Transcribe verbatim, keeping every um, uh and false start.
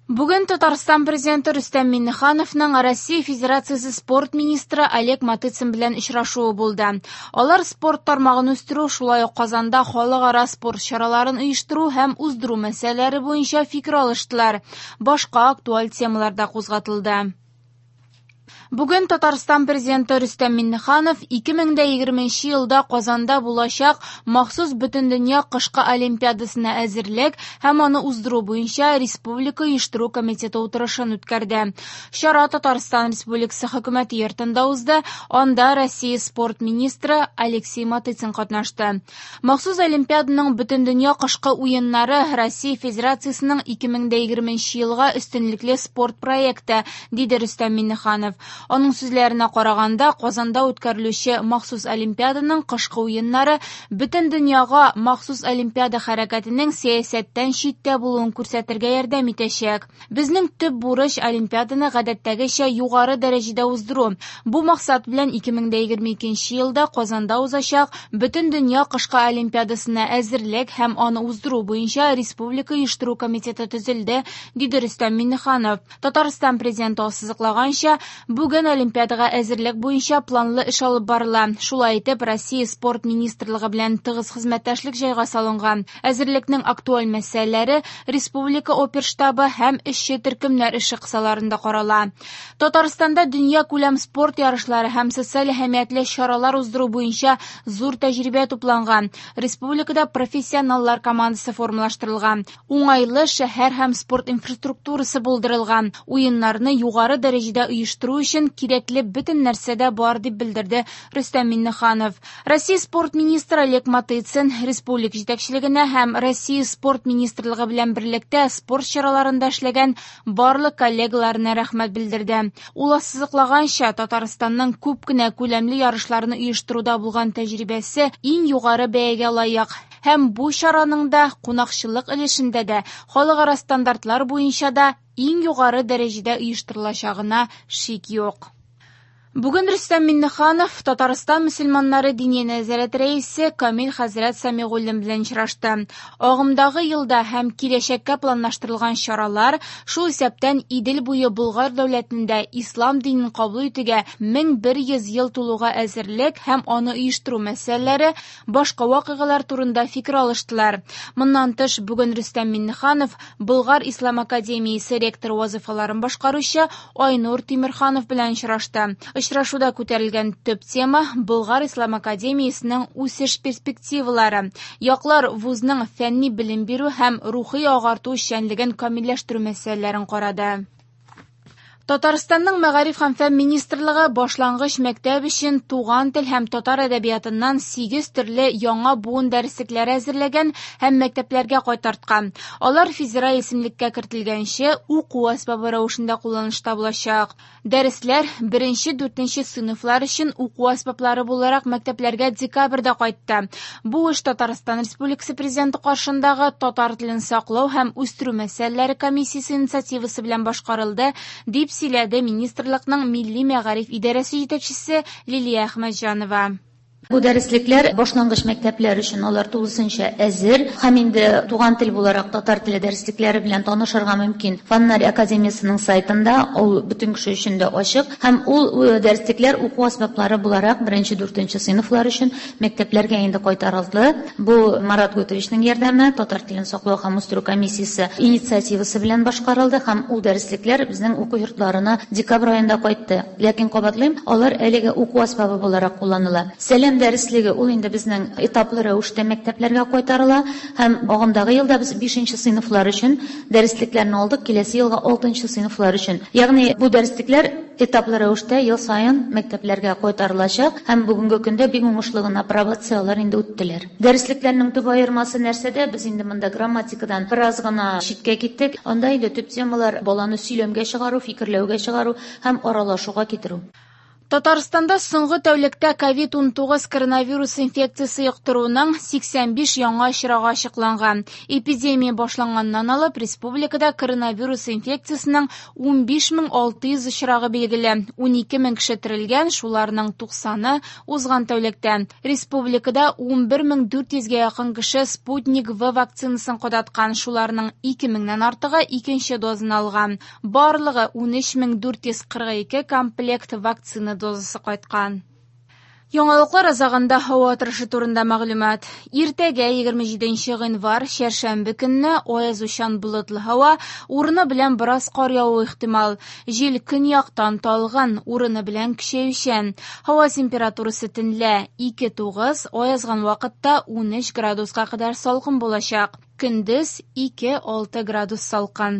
Бүген Татарстан Президенты Рөстәм Миңнехановның Россия Федерациясе спорт министры Олег Матыцин белән очрашуы булды. Алар спорт тармагын үстерү, шулай ук Казанда халыкара спорт чараларын оештыру һәм уздыру мәсьәләләре буенча фикер алыштылар. Башка актуаль темалар да кузгатылды. Бүген Татарстан Президенты Рөстәм Миңнеханов ике мең дә егерменче елда Казанда булачак махсус Бөтендөнья кышкы олимпиадасына әзерлек һәм аны уздыру буенча Республика оештыру комитеты утырышын үткәрде. Чара Татарстан Республикасы хөкүмәте йортында узды, анда Россия спорт министры Алексей Матыцин катнашты. Махсус олимпиаданың Бөтендөнья кышкы уеннары Россия Федерациясенең ике мең дә егерменче елга өстенлекле спорт проекты, диде Рөстәм Миңнеханов. Аның сүзләренә караганда, Казанда үткәрелүче махсус олимпиаданың кышкы уеннары бөтен дөньяга махсус олимпиада хәрәкәтенең сәясәттән читтә булуын күрсәтергә ярдәм итәчәк. Безнең төп бурыч олимпиаданы гадәттәгечә югары дәрәҗәдә уздыру. Бу максат белән ике мең дә егерме икенче елда Казанда узачак бөтен дөнья кышкы олимпиадасына әзерлек һәм аны уздыру буенча Республика оештыру комитеты төзелде, диде Рөстәм Миңнеханов. Татарстан президенты ассызыклаганча, бүген олимпиадага әзерлек буенча планлы эш алып барыла. Шулай итеп, Россия спорт министрлыгы белән тыгыз хезмәттәшлек җайга салынган. Әзерлекнең актуаль мәсьәләләре Республика оперштабы һәм эшче төркемнәр эше кысаларында карала. Татарстанда дөнья күләм спорт ярышлары һәм социаль әһәмиятле чаралар уздыру буенча зур тәҗрибә тупланган. Республикада профессионаллар командасы формалаштырылган. Уңайлы шәһәр һәм спорт инфраструктурасы булдырылган. Уеннарны югары дәрәҗәдә оештыру өчен кирәкле бөтен нәрсә дә бар, дип белдерде Рөстәм Миңнеханов. Россия спорт министры Олег Матыцин республика җитәкчелегенә һәм Россия спорт министрлыгы белән берлектә спорт чараларында эшләгән барлык коллегаларына рәхмәт белдерде. Ул ассызыклаганча, Татарстанның күп кенә күләмле ярышларны оештыруда булган тәҗрибәсе иң югары бәягә лаек. Һәм бу чараның да кунакчыллык өлешендә дә халыкара стандартлар буенча да иң югары дәрәҗәдә оештырылачагына шик юк. Бүген Рөстәм Миңнеханов Татарстан мөселманнары диния нәзарәте рәисе Камил хәзрәт Сәмигуллин белән очрашты. Агымдагы елда һәм киләчәккә планлаштырылган чаралар, шул исәптән Идел буе Болгар дәүләтендә ислам динен кабул итүгә мең бер йөз ел тулуга әзерлек һәм аны оештыру мәсьәләләре, башка вакыйгалар турында фикер алыштылар. Моннан тыш, бүген Рөстәм Миңнеханов Болгар Ислам академиясе ректоры вазифаларын башкаручы Айнур Тимерханов белән очрашты. Очрашуда күтәрелгән төп тема Болгар Ислам академиясенең үсеш перспективалары. Яклар вузның фәнни белем бирү һәм рухи агарту эшчәнлеген камилләштерү мәсьәләләрен карады. Татарстанның Мәгариф һәм фән министрлыгы башлангыч мәктәп өчен туган тел һәм татар әдәбиятыннан сигез төрле яңа буын дәреслекләре әзерләгән һәм мәктәпләргә кайтарткан. Алар федераль исемлеккә кертелгәнче уку әсбабы рәвешендә кулланышта булачак. Дәресләр беренче дүртенче сыйныфлар өчен уку әсбаплары буларак мәктәпләргә декабрьдә кайтты. Бу эш Татарстан Республикасы Президенты каршындагы татар телен саклау һәм үстерү мәсьәләләре комиссиясе инициативасы белән башкарылды, дип сөйләде министрлыкның Милли мәгариф идарәсе җитәкчесе Лилия Әхмәтҗанова. Бу дәреслекләр башлангыч мәктәпләр өчен алар тулысынча әзер һәм инде туган тел буларак татар теле дәреслекләре белән танышырга мөмкин. Фәннәр академиясенең сайтында ул бөтен кеше өчен дә ачык һәм ул дәреслекләр уку әсбаплары буларак беренче дүртенче сыйныфлар өчен мәктәпләргә инде кайтарылды. Бу Марат Гутовичның ярдәме, татар телен саклау һәм үстерү комиссиясе инициативасы белән башкарылды һәм ул дәреслекләр безнең уку йортларына декабрь аенда кайтты. Ләкин кабатлыйм, алар әлегә уку әсбабы буларак кулланыла. Сәлам дәреслеге ул инде безнең этаплы рәвештә мәктәпләргә кайтарыла һәм агымдагы елда без бишенче сыйныфлар өчен дәреслекләрне алдык, киләсе елга алтынчы сыйныфлар өчен. Ягъни бу дәреслекләр этаплы рәвештә ел саен мәктәпләргә кайтарылачак һәм бүгенге көндә бик уңышлы гына апробацияләр инде үттеләр. Дәреслекләрнең төп аермасы нәрсәдә? Без инде монда грамматикадан бераз гына читкә киттек. Анда инде төп темалар баланы сөйләмгә чыгару, фикерләүгә чыгару һәм аралашуга китерү. Татарстанда соңгы тәүлектә ковид унтугыз коронавирус инфекциясе йоктыруның сиксән биш яңа очрагы ачыкланган. Эпидемия башланганнан алып республикада коронавирус инфекциясенең унбиш мең алты йөз очрагы билгеле. Унике мең кеше терелгән, шуларның туксаны узган тәүлектә. Республикада унбер мең дүрт йөзгә якын кеше Спутник В вакцинасын кадаткан, шуларның ике меңнән артыгы икенче дозаны алган. Барлыгы унөч мең дүрт йөз кырык ике комплект вакцина дозасы кайткан. Яңалыклар азагында һава торышы турында мәгълүмат. Иртәгә егерме җиденче гыйнвар, чәршәмбе көнне аязучан болытлы һава, урыны белән бераз кар явуы ихтимал. Җил көньяктан талгын, урыны белән көчәючән. Һава температурасы төнлә ике тугыз, аязган вакытта унөч градуска кадәр салкын булачак. Көндез ике алты градус салкын.